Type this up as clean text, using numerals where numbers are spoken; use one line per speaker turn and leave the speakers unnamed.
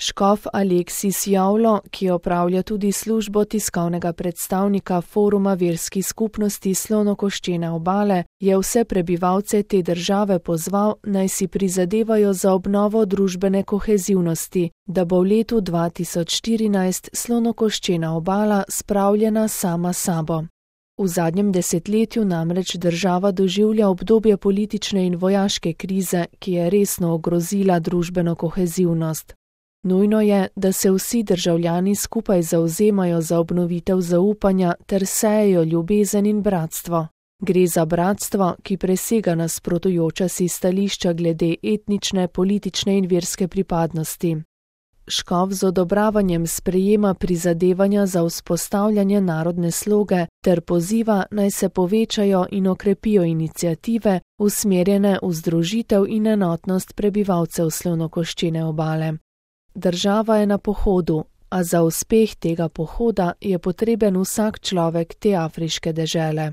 Škof Aleksis Javlo, ki opravlja tudi službo tiskovnega predstavnika Foruma verskih skupnosti Slonokoščene obale, je vse prebivalce te države pozval, naj si prizadevajo za obnovo družbene kohezivnosti, da bo v letu 2014 Slonokoščena obala spravljena sama sabo. V zadnjem desetletju namreč država doživlja obdobje politične in vojaške krize, ki je resno ogrozila družbeno kohezivnost. Nujno je, da se vsi državljani skupaj zavzemajo za obnovitev zaupanja ter sejejo ljubezen in bratstvo. Gre za bratstvo, ki presega nasprotujoča si stališča glede etnične, politične in verske pripadnosti. Škof z odobravanjem sprejema prizadevanja za vzpostavljanje narodne sloge ter poziva, naj se povečajo in okrepijo iniciative, usmerjene v združitev in enotnost prebivalcev Slonokoščene obale. Država je na pohodu, a za uspeh tega pohoda je potreben vsak človek te afriške dežele.